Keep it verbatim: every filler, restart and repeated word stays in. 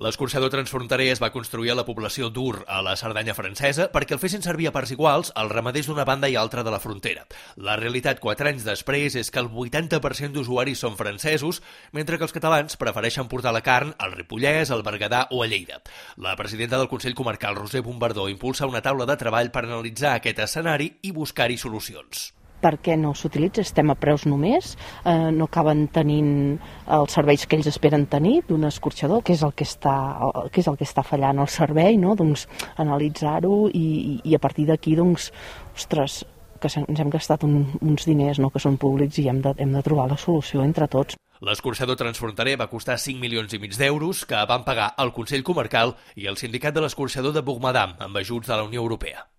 L'escorxador transfronterer es va construir a la població d'Ur, a la Cerdanya francesa, perquè el fessin servir a parts iguals els ramaders d'una banda i altra de la frontera. La realitat, quatre anys després, és que el vuitanta per cent d'usuaris són francesos, mentre que els catalans prefereixen portar la carn al Ripollès, al Berguedà o a Lleida. La presidenta del Consell Comarcal, Roser Bombardó, impulsa una taula de treball per analitzar aquest escenari i buscar-hi solucions. Per què no s'utilitza? Estem a preus només, eh, no acaben tenint els serveis que ells esperen tenir d'un escorxador, que és el que està, que és el que està fallant el servei, no? Doncs analitzar-ho i, i a partir d'aquí, doncs, ostres, que ens hem gastat un, uns diners, no?, que són públics i hem de, hem de trobar la solució entre tots. L'escorxador transfronterer va costar cinc milions i mig d'euros que van pagar el Consell Comarcal i el Sindicat de l'Escorxador de Bourg-Madame amb ajuts de la Unió Europea.